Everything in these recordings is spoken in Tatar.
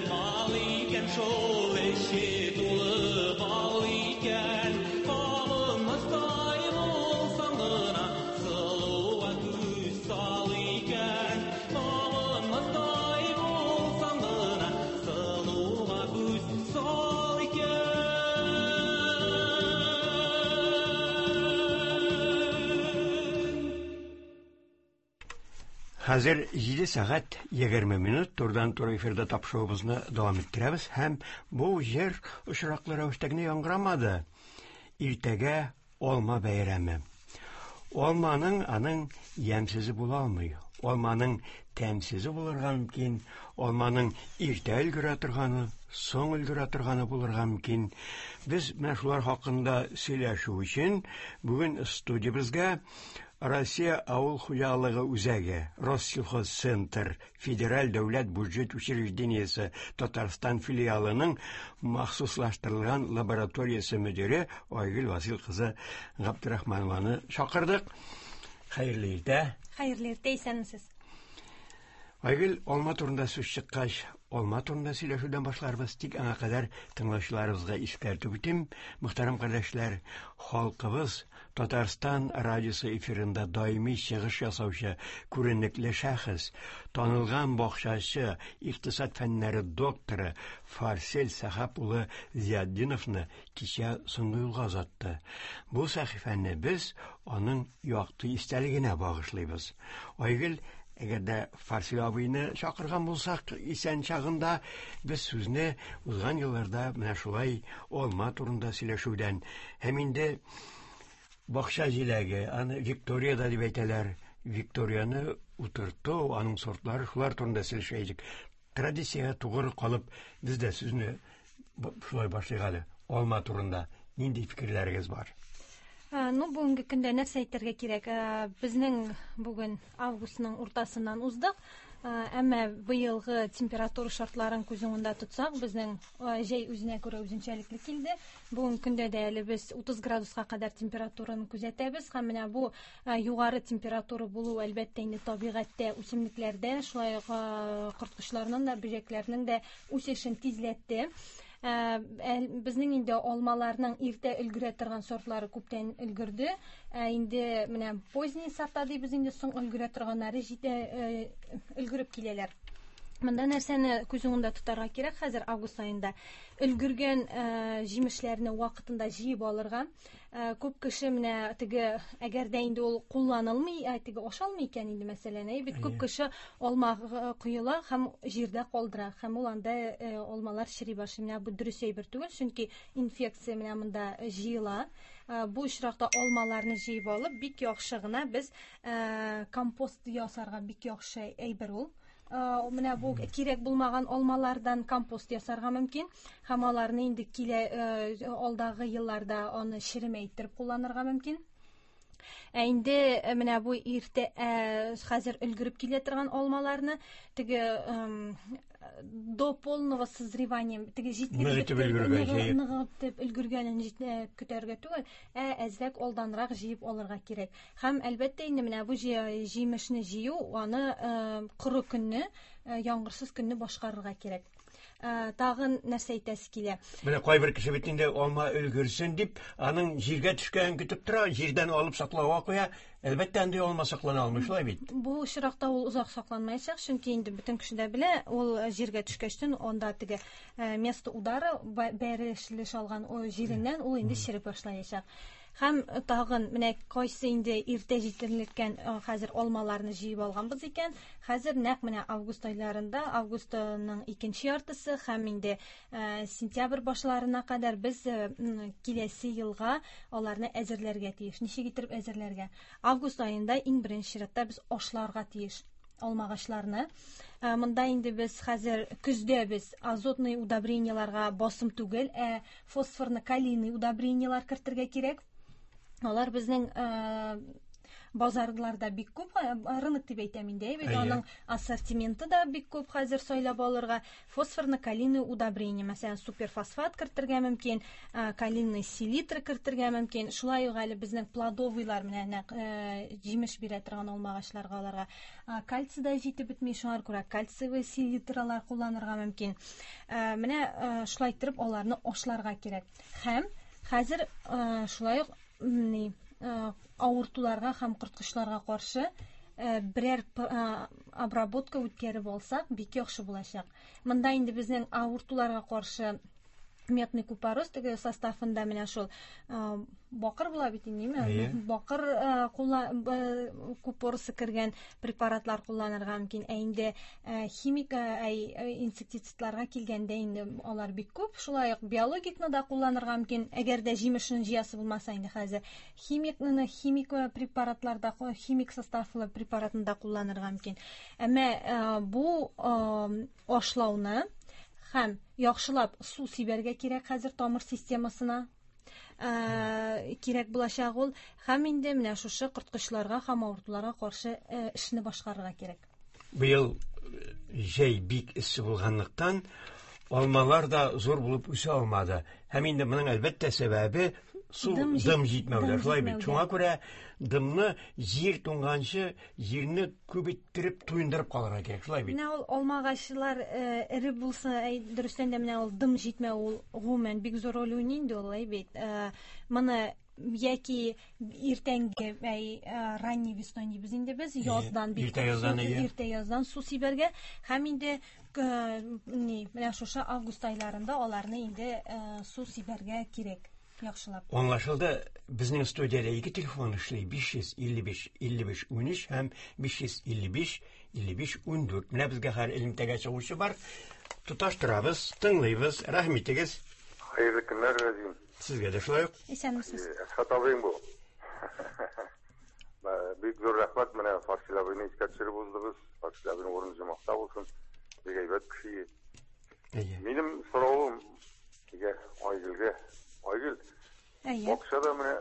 Мал икән шул, эче тулы бал икән. Кабынмастай булсаң гына, сылуга күз сал икән. Кабынмастай булсаң гына, сылуга күз сал икән. Хәзер 7 сәгать 20 минут турыдан-туры эфирда тапшыруыбызны дәвам иттерәбез һәм бу җыр очраклы рәвештә генә яңгырамады. Иртәгә алма бәйрәме. Алманың аның ямьсезе була алмый. Алманың тәмсезе булырга мөмкин, алманың иртә өлгерә торганы, соң өлгерә торганы булырга мөмкин. Без менә шулар хакында сөйләшү өчен бүген студиябезгә Россия авыл хуҗалыгы үзәге, Россельхозцентр федераль дәүләт бюджет учреждениесе Татарстан филиалының махсуслаштырылган лабораториясе мөдире Айгөл Васил кызы Габдрахманованы чакырдык. Хәерле иртә. Хәерле иртә, исәнмесез. Айгөл, алма турында сүз чыккач, алма турында сөйләшүдән башларбыз. Тик аңа кадәр тыңлаучыларыбызга искәртеп үтим. Мөхтәрәм кардәшләр, халкыбыз Татарстан радиосы эфирында даими чыгыш ясаучы күренекле шәхес, танылган бакчачы, икътисад фәннәре докторы Фарсель Сәхап улы Зиятдиновны кичә соңгы юлга озатты. Бу сәхифәне без аның якты истәлегенә багышлыйбыз. Айгөл, әгәр дә Фарсил абыйны чакырган булсак, исән чагында без сүзне узган елларда менә шулай алма турында сөйләшүдән һәм инде бакча җиләге, аны Виктория да дип әйтәләр. Викторияне утырту, аның сортлары, шулар турында сөйләшә идек. Традициягә тугры калып, без дә сүзне шулай башлыйк әле. Алма турында нинди фикерләрегез бар? Ну, бүгенге көндә нәрсә әйтергә кирәк? Безнең бүген августның уртасыннан уздык. Әмма быелгы температура шартларын күз уңында тотсак, безнең җәй үзенә күрә үзенчәлекле килде. Бүгенге көндә дә әле без 30 градуска кадәр температураны күзәтәбез һәм менә бу югары температура булу, әлбәттә, инде табигатьтә, үсемлекләрдә, шулай ук корткычларның да, бөҗәкләрнең дә үсешен тизләтте. Безнең инде алмаларның иртә өлгерә торган сортлары күптән өлгерде. Ә инде менә поздний сорта дибез инде, соң өлгерә торганнары җитә, өлгереп киләләр. Монда нәрсәне күз уңында тотарга кирәк хәзер август аенда? Өлгергән җимешләрне вакытында җыеп алырга. Күп кеше менә теге, әгәр дә инде ул кулланылмый, теге ашалмый икән инде, мәсәлән, әй бит күп кеше алма коела һәм җирдә калдыра, һәм ул анда алмалар чери башлый. Менә бу дөрес әйбер түгел, чөнки инфекция менә монда җыела. Бу очракта алмаларны җыеп алып, бик яхшы гына без компост ясарга бик яхшы әйбер ул. Менә бу кирәк булмаган алмалардан компост ясарга мөмкин һәм аларны инде килә алдагы елларда аны черемә иттереп кулланырга мөмкин. Ә инде менә бу иртә хәзер өлгереп килә торган алмаларны теге до полного созревания, теге җитлек ныгытып өлгергәнен көтәргә түгел, ә әзрәк алданрак җыеп алырга кирәк. Һәм, әлбәттә, инде менә бу җимешне җыю, аны коры көнне, яңгырсыз көнне башкарырга кирәк. Тагын нәрсә әйтәсе килә? Менә кайбер кеше бит инде алма өлгерсен дип, аның җиргә төшкәнен көтеп тора, җирдән алып саклауга куя. Әлбәттә, андый алма саклана алмый, шулай бит? Бу очракта ул озак сакланмаячак, чөнки инде бөтен кеше дә белә, ул җиргә төшкәчтен анда теге место удара, бәрелеш алган җиреннән ул инде череп башлаячак. Һәм тагын менә кайсы инде иртә җитлеккән хәзер алмаларны җыеп алганбыз икән, хәзер нәкъ менә август айларында, августның икенче яртысы һәм инде сентябрь башларына кадәр без киләсе елга аларны әзерләргә тиеш. Ничек итеп әзерләргә? Август аенда иң беренче чиратта без ашларга тиеш алмагачларны. Монда инде без хәзер көздә без азотный удобрениеларга басым түгел, ә фосфорно-калийный удобрениелар кертергә кирәк. Алар безнең базарларда бик күп, рынок дип әйтәм инде, әйбәт, аның ассортименты да бик күп хәзер сайлап алырга. Фосфорно-калийный удобрение, мәсәлән, суперфосфат кертергә мөмкин, калийный селитра кертергә мөмкин. Шулай ук әле безнең плодовыйлар менә нәкъ җимеш бирә торган алмагачларга аларга кальций да җитеп бетми, шуңа күрә кальциевый селитралар кулланырга мөмкин. Менә шулай иттереп аларны ашларга кирәк. Һәм хәзер шулай ук ни авыртуларга һәм корткычларга каршы берәр обработка үткәреп алсак, бик яхшы булачак. Монда инде безнең авыртуларга каршы медный купорос теге составында менә шул бакыр була бит инде, ниме? Бакыр купоросы кергән препаратлар кулланырга мөмкин. Ә инде химик инсектицидларга килгәндә инде алар бик күп. Шулай ук биологикны да кулланырга мөмкин. Әгәр дә җимешен җыясы булмаса инде хәзер химикны, химик препаратларда, химик составлы препаратны да кулланырга мөмкин. Әмма бу ашлауны һәм яхшылап су сибәргә кирәк хәзер тамыр системасына кирәк булачак ул. Һәм инде менә шушы корткычларга һәм авыртуларга каршы эшне башкарырга кирәк. Быел җәй бик эссе булганлыктан, алмалар да зур булып үсә алмады. Һәм инде моның әлбәттә сәбәбе су дым җитмәүдә. Шулай бит. Шуңа күрә дымны җир туңганчы җирне күп иттереп туендырып калырга кирәк. Шулай бит. Менә ул алмагачлар эре булса, дөрестән дә менә ул дым җитмәү ул гомумән бик зур роль уйный инде ул, әй бит. Моны яки иртәнге, ранний весной дибез инде без, яздан бик иртә яздан, иртә яздан су сибәргә һәм инде ни, менә шушы август айларында аларны инде су сибәргә кирәк. Яхшылап. Аңлашылды, безнең студиядә ике телефон эшли, 555 55 13 һәм 555 55 14. Менә безгә хәзер элемтәгә чыгучы бар. Тоташтырабыз, тыңлыйбыз. Рәхим итегез. Хәерле көннәр, Рәзин. Сезгә дә шулай ук. Исәнмесез. Әсхәт абыең бу. Бик зур рәхмәт, менә Фарсил абыйны искә төшереп уздыгыз. Фарсил абыйның урыны җомахта булсын. Бик әйбәт кеше. Минем соравым Әйе, Айгөлгә. Айгөл, бакчада менә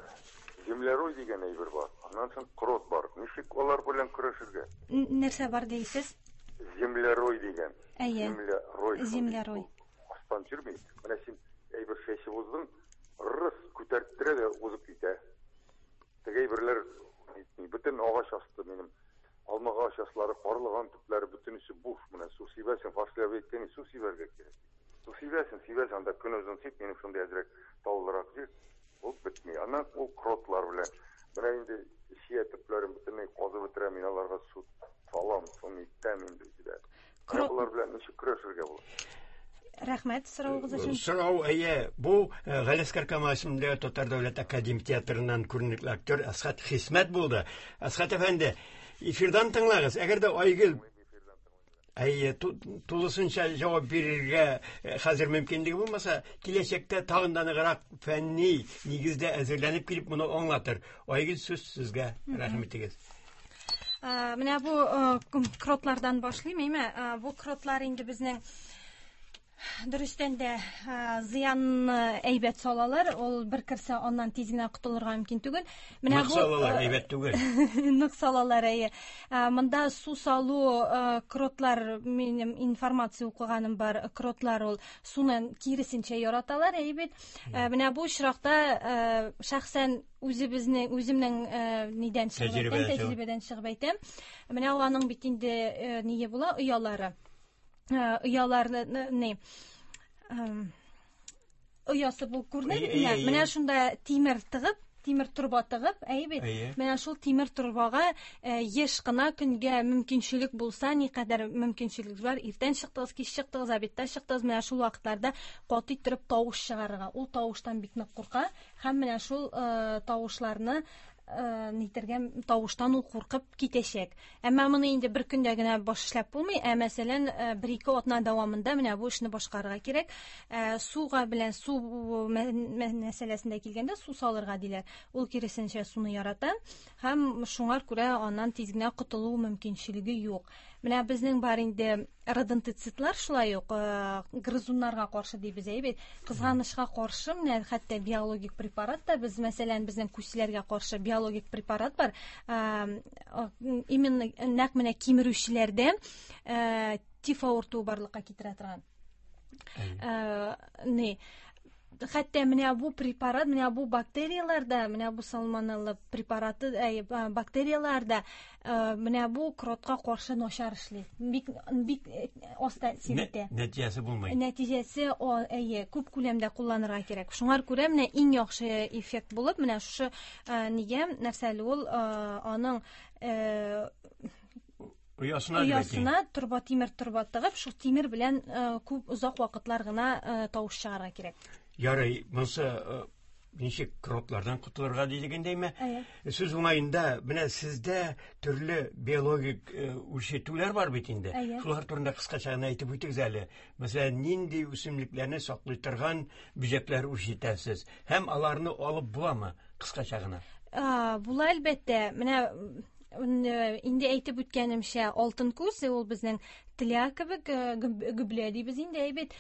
землерой дигән әйбер бар. Аннан соң крот бар. Ничек алар белән көрәшергә? Нәрсә бар дейсез? Землерой дигән. Әйе. Землерой. Землерой. Астан йөрми. Менә син әйбер чәчеп уздың, рыс күтәрттерә дә узып китә. Теге әйберләр нитми. Бөтен агач асты минем. Алма агач аслары, карлыган төпләре бөтенесе буш. Менә су сибәсең, Фарсил абый әйткән, су сибәргә кирәк. Су сибәсең, сибәсең, анда көн озын сип, минем шундый әзрәк таулырак җир, ул бетми. Аннан ул кротлар белән. Менә инде чия төпләрен бөтенләй казып бетерә, мин аларга су салам, су итәм инде үзгә. Менә болар белән ничек көрәшергә була? Рәхмәт соравыгыз өчен. Сорау, әйе, бу Галиәсгар Камал исемендәге Татар дәүләт академик театрыннан күренекле актер Әсхәт Хисмәт булды. Әсхәт әфәнде, эфирдан тыңлагыз. Әгәр дә Айгөл Әйе, тулысынча җавап бирергә хәзер мөмкинлеге булмаса, киләчәктә тагын да ныграк фәнни нигездә әзерләнеп килеп моны аңлатыр. Айгөл, сүз сезгә, рәхим итегез. Менә бу кротлардан башлыйм, әйме? Бу кротлар инде безнең дөрестән дә зыянны әйбәт салалар. Ул бер керсә, аннан тиз генә котылырга мөмкин түгел. Менә Нык салалар, әйбәт түгел. Нык салалар, әйе. Монда су салу, кротлар, минем информация укыганым бар, кротлар ул суны киресенчә яраталар, әйе бит. Менә бу очракта шәхсән үзебезнең, үземнең нидән чыгып әйтәм, тәҗрибәдән чыгып әйтәм. Менә ул аның бит инде ние була, оялары. Ояларны, ни, оясы бу күренә бит менә. Менә шунда тимер тыгып, тимер торба тыгып, әйе бит. Менә шул тимер торбага еш кына көнгә мөмкинчелек булса, никадәр мөмкинчелек бар, иртән чыктыгыз, кич чыктыгыз, обедта чыктыгыз, менә шул вакытларда каты иттереп тавыш чыгарырга. Ул тавыштан бик нык курка һәм менә шул тавышларны нитергә, тавыштан ул куркып китәчәк. Әмма моны инде бер көндә генә баш эшләп булмый, ә мәсәлән, бер-ике атна дәвамында менә бу эшне башкарырга кирәк. Суга белән су мәсьәләсендә килгәндә су салырга диләр. Ул киресенчә суны ярата һәм шуңар күрә аннан тиз генә котылу мөмкинчелеге юк. Менә безнең бар инде родентицидлар шулай ук грызуннарга каршы дибез, әйе бит. Кызганычка каршы, менә хәтта биологик препарат та без, мәсәлән, безнең күселәргә каршы биологик препарат бар. Именно нәкъ менә кимерүчеләрдә тиф авыртуы барлыкка китерә торган. Не хәтта менә бу препарат, менә бу бактерияләр дә, менә бу сальмонелла препараты, әй, бактерияләр дә менә бу кротка каршы начар эшли. Бик бик аз тәэсир итә. Нәтиҗәсе булмый. Нәтиҗәсе, әйе, күп күләмдә кулланырга кирәк. Шуңар күрә менә иң яхшы эффект булып, менә шушы нигә нәрсә әле ул аның Оясына, оясына торба тимер торба тыгып, шул тимер белән күп озак вакытлар гына тавыш чыгарырга кирәк. Ярый, монысы ничек кротлардан котылырга дигәндәйме? Сүз уңаенда, менә сездә төрле биологик үрчетүләр бар бит инде. Шулар турында кыскача гына әйтеп үтегез әле. Мәсәлән, нинди үсемлекләрне саклый торган бөҗәкләр үрчетәсез һәм аларны алып буламы? Кыскача гына. Була әлбәттә. Менә инде әйтеп үткәнемчә, алтын күз ул безнең тля кебек гөблә дибез инде, әйбәт.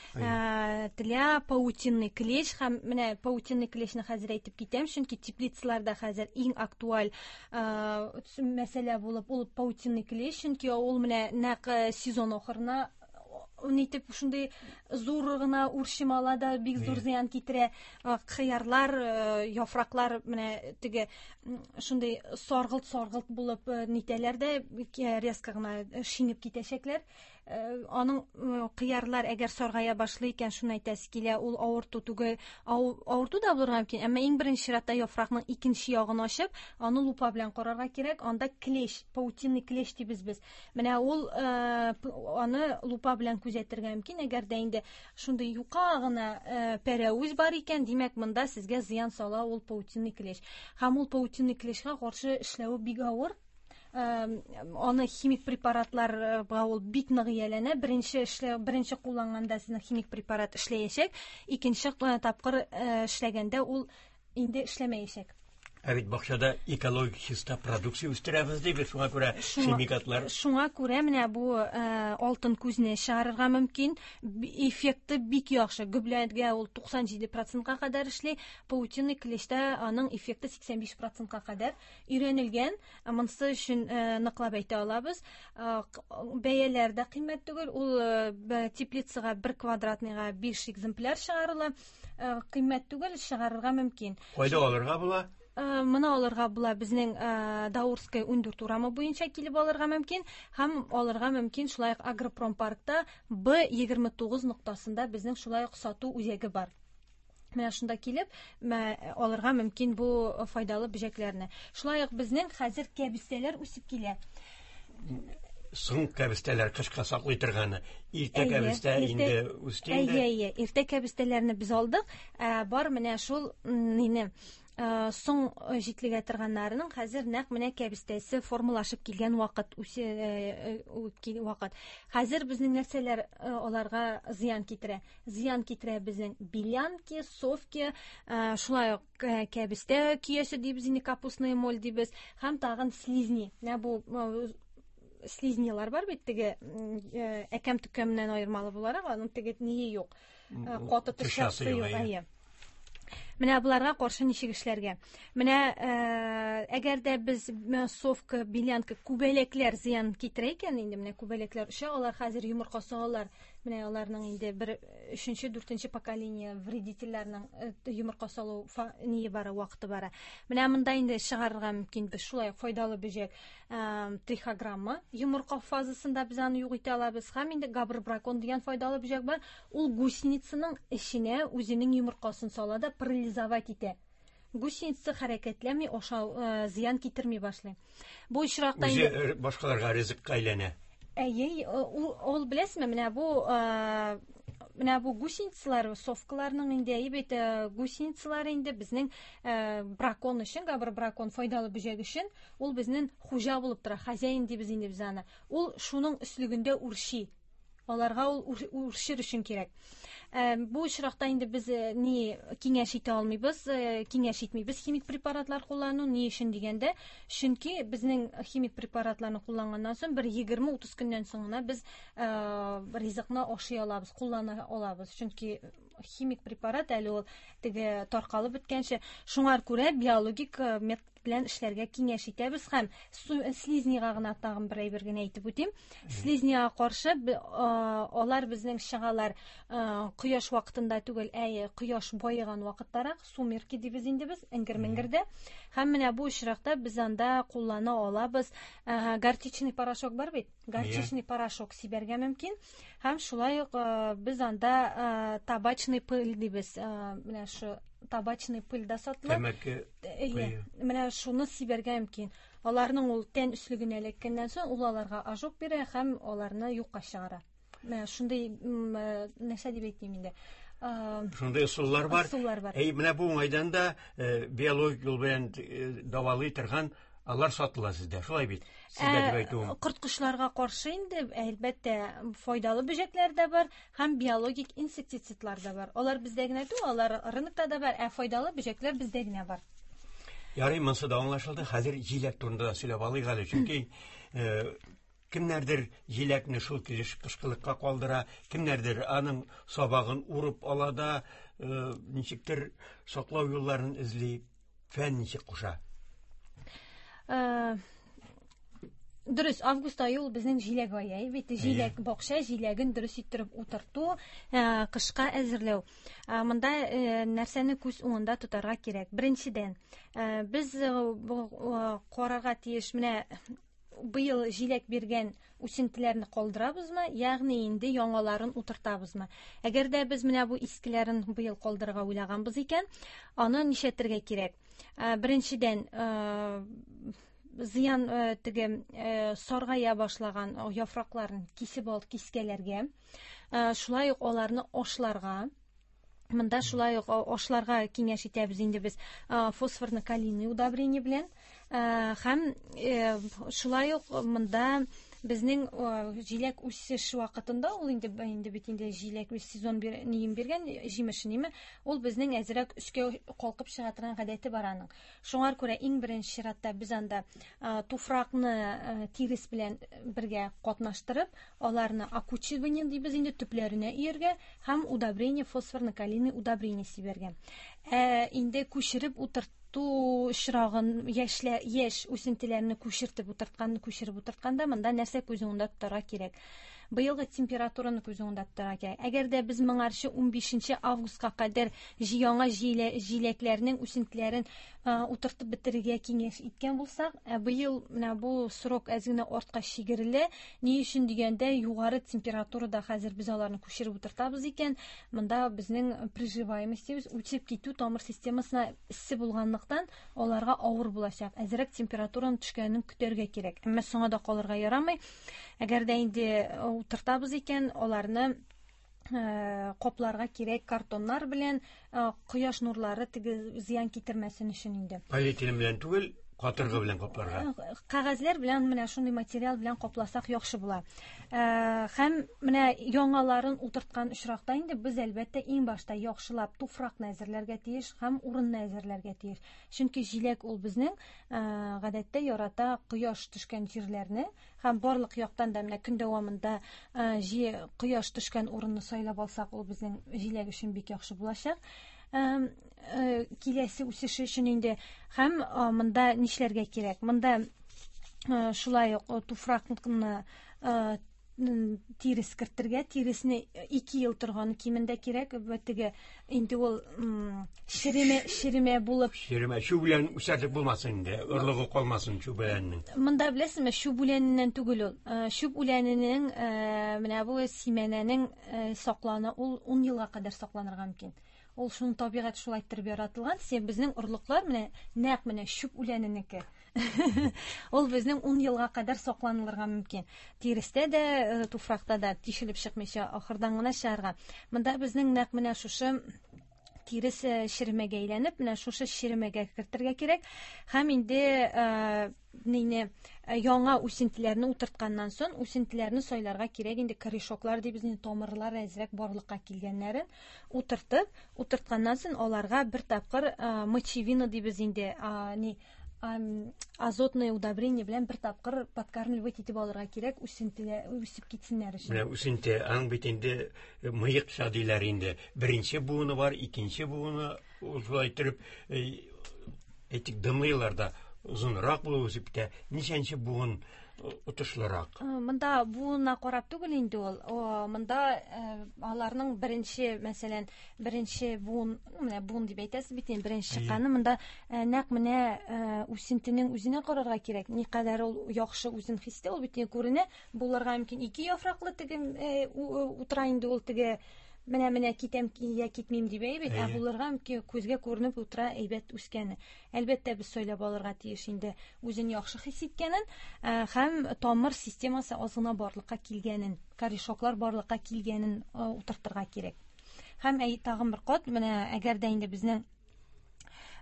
Тля, паутинный клещ һәм менә паутинный клещны хәзер әйтеп китәм, чөнки теплицаларда хәзер иң актуаль мәсьәлә булып ул паутинный клещ, чөнки ул менә нәкъ сезон ахырына нитеп шундый зур гына үрчем ала да бик зур зыян китерә. Кыярлар, яфраклар менә теге шундый саргылт-саргылт булып нитәләр дә резко гына шинеп китәчәкләр. Аның кыярлар әгәр саргая башлый икән, шуны әйтәсе килә, ул авырту түгел, авырту да булырга мөмкин, әмма иң беренче чиратта яфракның икенче ягын ачып, аны лупа белән карарга кирәк. Анда клещ, паутинный клещ дибез без. Менә ул аны лупа белән күзәтергә мөмкин. Әгәр дә инде шундый юка гына пәрәвез бар икән, димәк, монда сезгә зыян сала ул паутинный клещ. Һәм ул паутинный клещка каршы эшләве бик авыр. Аны химик препаратларга ул бик нык ияләнә. Беренче эшләү, беренче кулланганда сезнең химик препарат эшләячәк, икенче тапкыр эшләгәндә ул инде эшләмәячәк. Ә бит бакчада экологик чиста продукция үстерәбез дибез, шуңа күрә химикатлар. Шуңа күрә менә бу алтын күзне чыгарырга мөмкин. Эффекты бик яхшы. Гөбләгә ул 97%-ка кадәр эшли, паутинный клещтә аның эффекты 85%-ка кадәр өйрәнелгән. Монысы өчен ныклап әйтә алабыз. Бәяләр дә кыйммәт түгел. Ул теплицага бер квадратныйга 5 экземпляр чыгарыла. Кыйммәт түгел, чыгарырга мөмкин. Кайда алырга була? Моны алырга була безнең Даурская 14 урамы буенча килеп алырга мөмкин һәм алырга мөмкин шулай ук Агропромпаркта Б29 ноктасында безнең шулай ук сату үзәге бар. Менә шунда килеп алырга мөмкин бу файдалы бөҗәкләрне. Шулай ук безнең хәзер кәбестәләр үсеп килә. Соң кәбестәләр кышка саклый торганы. Иртә кәбестә инде үсте инде. Әйе, әйе, иртә кәбестәләрне без алдык. Бар менә шул нине соң җитлегә торганнарының хәзер нәкъ менә кәбестәсе формалашып килгән вакыт, үсә вакыт. Хәзер безнең нәрсәләр аларга зыян китерә? Зыян китерә безнең белянки, совки, шулай ук кәбестә көясе дибез инде, капустная моль дибез, һәм тагын слизни. Менә бу слизнилар бар бит, теге әкәм төкәмнән аермалы буларак, аның теге ние юк. Каты тышчасы юк, әйе. Менә буларга каршы ничек эшләргә? Менә әгәр дә без совка, белянка, күбәләкләр зыян китерә икән, инде менә күбәләкләр оча, алар хәзер йомырка салалар. Менә аларның инде бер өченче, дүртенче поколение вредительләрнең йомырка салу ние бара, вакыты бара. Менә монда инде чыгарырга мөмкин без шулай файдалы бөҗәк трихограмма йомырка фазасында без аны юк итә алабыз. Һәм инде габр-бракон дигән файдалы бөҗәк бар. Ул гусеницаның эченә үзенең йомыркасын сала да парализовать итә. Гусеница хәрәкәтләнми, ашау зыян китерми башлый. Бу очракта инде үзе башкаларга ризыкка әйләнә. Әйе, ул беләсезме, менә бу менә бу гусеницалар, совкаларның инде әйе бит, гусеницалар инде безнең бракон өчен, габр бракон файдалы бөҗәк өчен, ул безнең хуҗа булып тора, хозяин дибез инде без аны. Ул шуның өслегендә үрчи. Аларга ул үрчер өчен кирәк. Бу очракта инде без ни киңәш итә алмыйбыз, киңәш итмибез химик препаратлар куллану. Ни өчен дигәндә, чөнки безнең химик препаратларны кулланганнан соң бер 20-30 көннән соң гына без ризыкны ашый алабыз, куллана алабыз. Чөнки химик препарат әле ул теге таркалып беткәнче. Шуңар күрә биологик метод белән эшләргә киңәш итәбез һәм слизнига гына тагын бер әйбер генә әйтеп үтим. Слизнига каршы алар безнең чыгалар кояш вакытында түгел, ә кояш баеган вакыттарак, сумерки дибез инде без, эңгер-меңгердә. Һәм менә бу очракта без анда куллана алабыз горчичный порошок бар бит, горчичный порошок сибәргә мөмкин. Һәм шулай ук без анда табачный пыль дибез, менә шу табачный пыль да сатыла. Тәмәке. Менә шуны сибәргә мөмкин. Аларның ул тән өслегенә эләккәннән соң, ул аларга ожог бирә һәм аларны юкка чыгара. Менә шундый, нәрсә дип әйтим инде. Шундый ысуллар бар. Ысуллар бар. Әй, менә бу уңайдан да биологик юл белән дәвалый торган алар сатыла сездә, шулай бит? Сездә дип әйтүем. Корткычларга каршы инде, әлбәттә, файдалы бөҗәкләр дә бар һәм биологик инсектицидлар да бар. Алар бездә генә түгел, алар рынокта да бар, ә файдалы бөҗәкләр бездә генә бар. Ярый, монысы да аңлашылды. Хәзер җиләк турында да сөйләп алыйк әле, чөнки кемнәрдер җиләкне шул килеш кышкылыкка калдыра, кемнәрдер аның сабагын урып ала да, ничектер саклау юлларын эзли. Фән ничек куша? Дөрес, август ае ул безнең җиләк ае, әй бит, җиләк бакча җиләген дөрес иттереп утырту, кышка әзерләү. Монда нәрсәне күз уңында тотарга кирәк? Беренчедән, без карарга тиеш, менә быел җиләк биргән үсентеләрне калдырабызмы, ягъни инде яңаларын утыртабызмы? Әгәр дә без менә бу искеләрен быел калдырырга уйлаганбыз икән, аны нишләтергә кирәк? Беренчедән, зыян теге саргая башлаган яфракларын кисеп алып кискәләргә, шулай ук аларны ашларга. Монда шулай ук ашларга киңәш итәбез инде без фосфорно-калийный удобрение белән. Һәм шулай ук монда безнең җиләк үсеш вакытында, ул инде бит инде җиләк үз сезон ниен биргән, җимеше ниме, ул безнең әзрәк өскә калкып чыга торган гадәте бар аның. Шуңар күрә иң беренче чиратта без анда туфракны тирес белән бергә катнаштырып, аларны окучивание дибез инде, төпләренә өяргә һәм удобрение, фосфорно-калийный удобрение сибәргә. Инде күчереп утырту очрагын, яшь үсентеләрне күчертеп утырткан, күчереп утыртканда монда нәрсә күз уңында тотарга кирәк? Быелгы температураны күз уңында тотарга кирәк. Әгәр дә без моңарчы 15 августка кадәр яңа җиләкләрнең үсентеләрен утыртып бетерергә киңәш иткән булсак, быел менә бу срок әз генә артка чигерелә. Ни өчен дигәндә, югары температурада хәзер без аларны күчереп утыртабыз икән, монда безнең приживаемостебез үсеп китү тамыр системасына эссе булганлыктан аларга авыр булачак. Әзрәк температураның төшкәнен көтәргә кирәк. Әмма соңа да калырга ярамый. Әгәр дә инде утыртабыз икән, аларны капларга кирәк картоннар белән, кояш нурлары теге зыян китермәсен өчен инде. Полиэтилен белән түгел, катыргы белән капларга. Кәгазьләр белән, менә шундый материал белән капласак яхшы була. Һәм менә яңаларын утырткан очракта инде без әлбәттә иң башта яхшылап туфракны әзерләргә тиеш һәм урынны әзерләргә тиеш. Чөнки җиләк ул безнең гадәттә ярата кояш төшкән җирләрне һәм барлык яктан да менә көн дәвамында кояш төшкән урынны сайлап алсак, ул безнең җиләк өчен бик яхшы булачак. Киләсе үсеше өчен инде һәм монда нишләргә кирәк? Монда шулай ук туфракны тирес кертергә, тиресне 2 ел торган кимендә кирәк. Теге инде ул шереме булып. Шереме, чү белән үсәрлек булмасын инде, орлыгы калмасын чү беләннең. Монда беләсезме, чү үләненнән түгел ул. Чүп үләненең, менә бу симәнәнең сакланы, ул 10 елга кадәр сакланырга мөмкин. Ул шуның табигать шулай иттереп яратылган. Сен безнең орлыклар менә нәкъ менә чүп үләненеке. Ул безнең 10 елга кадәр сакланылырга мөмкин. Тирестә дә, туфракта да тишелеп чыкмыйча ахырдан гына чыгарга. Монда безнең нәкъ менә шушы тирес черемәгә әйләнеп, менә шушы черемәгә кертергә кирәк. Һәм инде нине яңа үсентеләрне утыртканнан соң үсентеләрне сайларга кирәк инде корешоклар дибез инде тамырлар әзрәк барлыкка килгәннәрен утыртып, утыртканнан соң аларга бер тапкыр мочевина дибез инде, ни азотное удобрение белән бер тапкыр подкармливать итеп алырга кирәк, үсентеләр үсеп китсеннәр өчен. Менә үсенте, аның бит инде мыекча диләр инде. Беренче буыны бар, икенче буыны ул шулай иттереп, әйтик, дымлы елларда озынрак булып үсеп китә. Ничәнче буын отышлырак? Монда буынына карап түгел инде ул. Монда аларның беренче, мәсәлән, беренче буын, менә буын дип әйтәсез бит инде, беренче чыкканы монда нәкъ менә үсентенең үзенә карарга кирәк. Никадәр ул яхшы үзен хис итә, ул бит инде күренә. Булырга мөмкин ике яфраклы теге утыра инде ул теге менә-менә китәм я китмим дип әйбит, ә булырга мөмкин күзгә күренеп утыра әйбәт үскәне. Әлбәттә, без сайлап алырга тиеш инде үзен яхшы хис иткәнен, һәм тамыр системасы аз гына барлыкка килгәнен, корешоклар барлыкка килгәнен утыртырга кирәк. Һәм тагын бер кат, менә әгәр дә инде безнең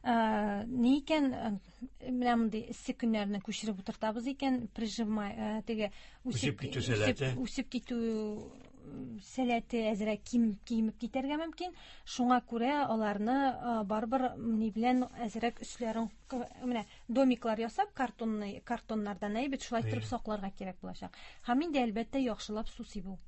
ни икән, менә мондый эссе көннәрне күчереп утыртабыз икән, прижимай, теге үсеп китү сәләте, үсеп китү сәләте әзрәк кимеп китәргә мөмкин. Шуңа күрә аларны барыбер ни белән әзрәк өсләрен менә домиклар ясап, картонный, картоннардан әйбәт шулай итеп сакларга кирәк булачак. Һәм инде әлбәттә яхшылап су сибү.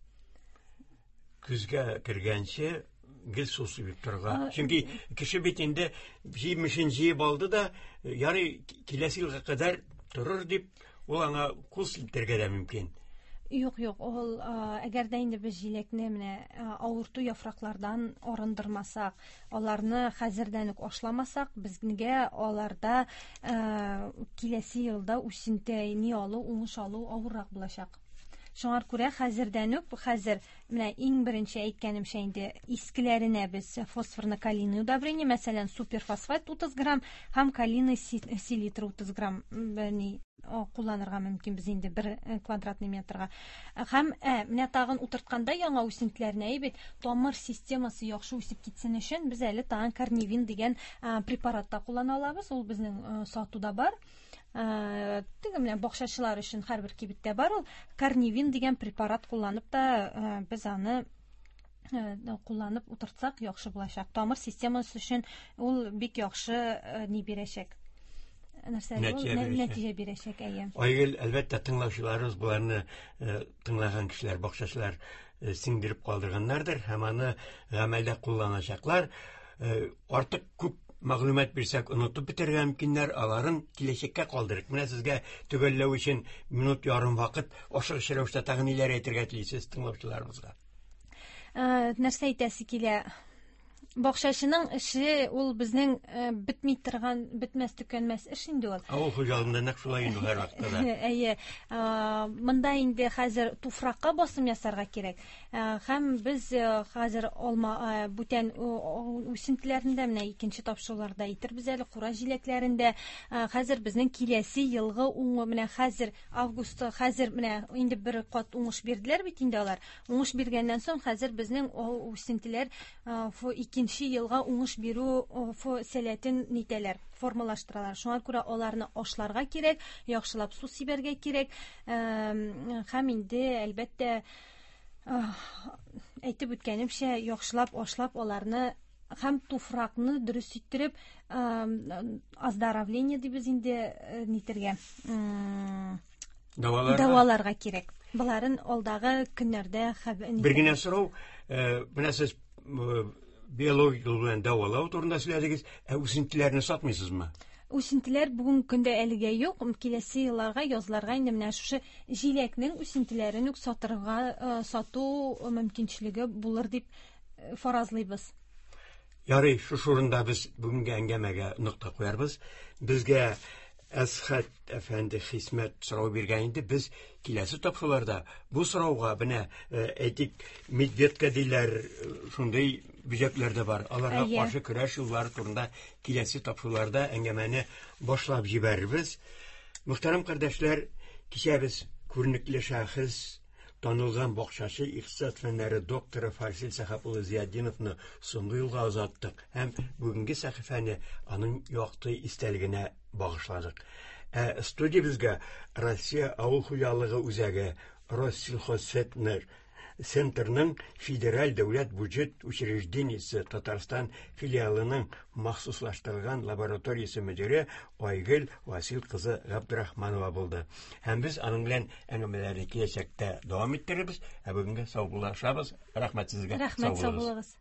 Көзгә кергәнче гел су сибеп торырга. Чөнки кеше бит инде җимешен җыеп алды да, ярый киләсе елга кадәр торыр дип, ул аңа кул селтәргә дә мөмкин. Юк, юк, ул әгәр дә инде без җиләкне менә авырту яфраклардан арындырмасак, аларны хәзердән үк ашламасак, безгә аларда киләсе елда үсенте ни алу, уңыш алу авыррак булачак. Шуңа күрә хәзердән үк, хәзер менә иң беренче әйткәнемчә инде искеләренә без фосфорно-калийный удобрение, мәсәлән, суперфосфат 30 грамм һәм калийный селитра 30 грамм ни кулланырга мөмкин без инде бер квадратный метрга. Һәм менә тагын утыртканда яңа үсентеләрне әйбәт тамыр системасы яхшы үсеп китсен өчен без әле тагын корневин дигән препарат та куллана алабыз. Ул безнең сатуда бар. Теге менә бакчачылар өчен һәрбер кибеттә бар ул. Корневин дигән препарат кулланып та без аны кулланып утыртсак яхшы булачак. Тамыр системасы өчен ул бик яхшы ни бирәчәк. Нәтиҗә бирәчәк, әйе. Айгөл, әлбәттә, тыңлаучыларыбыз боларны тыңлаган кешеләр, бакчачылар сеңдереп калдырганнардыр һәм аны гамәлдә кулланачаклар. Артык күп мәгълүмат бирсәк, онытып бетерергә мөмкиннәр, аларын киләчәккә калдырыйк. Менә сезгә төгәлләү өчен минут ярым вакыт, ашыгыч рәвештә тагын ниләр әйтергә телисез тыңлаучыларыбызга? Нәрсә әйтәсе килә? Бакчачының эше ул безнең бетми торган, бетмәс төкәнмәс эш инде ул. Авыл хуҗалыгында нәкъ шулай инде һәрвакытта да. Әйе. Монда инде хәзер туфракка басым ясарга кирәк. Һәм без хәзер алма бүтән үсентеләрендә, менә икенче тапшыруларда әйтербез әле, кура җиләкләрендә. Хәзер безнең киләсе елгы уңы, менә хәзер августта, хәзер менә инде бер кат уңыш бирделәр бит инде алар. Уңыш биргәннән соң хәзер безнең үсентеләр икенче елга уңыш бирү сәләтен нитәләр, формалаштыралар. Шуңа күрә аларны ашларга кирәк, яхшылап су сибәргә кирәк. Һәм инде әлбәттә әйтеп үткәнемчә, яхшылап ашлап аларны һәм туфракны дөрес иттереп, оздоровление дибез инде нитергә, дәваларга кирәк. Боларын алдагы көннәрдә хәбәр. Бер генә сорау, менә сез биологик юл белән дәвалау турында сөйләдегез, ә үсентеләрне сатмыйсызмы? Үсентеләр бүгенге көндә әлегә юк. Киләсе елларга, язларга инде менә шушы җиләкнең үсентеләрен үк сатырга, сату мөмкинчелеге булыр дип фаразлыйбыз. Ярый, шушы урында без бүгенге әңгәмәгә нокта куярбыз. Безгә Әсхәт әфәнде Хисмәт сорау биргән инде. Без киләсе тапшыруларда бу сорауга менә әйтик, медведка диләр, шундый бөҗәкләр дә бар. Аларга каршы көрәш юллары турында киләсе тапшыруларда әңгәмәне башлап җибәрербез. Мөхтәрәм кардәшләр, кичә без күренекле шәхес, Танылган бакчачы, икътисад фәннәре докторы Фарсил Сәхәп улы Зиятдиновны соңгы юлга озаттык һәм бүгенге сәхифәне аның якты истәлегенә багышладык. Ә студиябезгә Россия авыл хуҗалыгы үзәге Россельхозцентр Центрның Федераль дәүләт бюджет учреждениесе Татарстан филиалының махсуслаштырылган лабораториясе мөдире Айгөл Васил кызы Габдрахманова булды. Һәм без аның белән әңгәмәләрне киләчәктә дәвам иттерербез. Ә бүгенгә саубуллашабыз. Рәхмәт сезгә. Рәхмәт, сау булыгыз.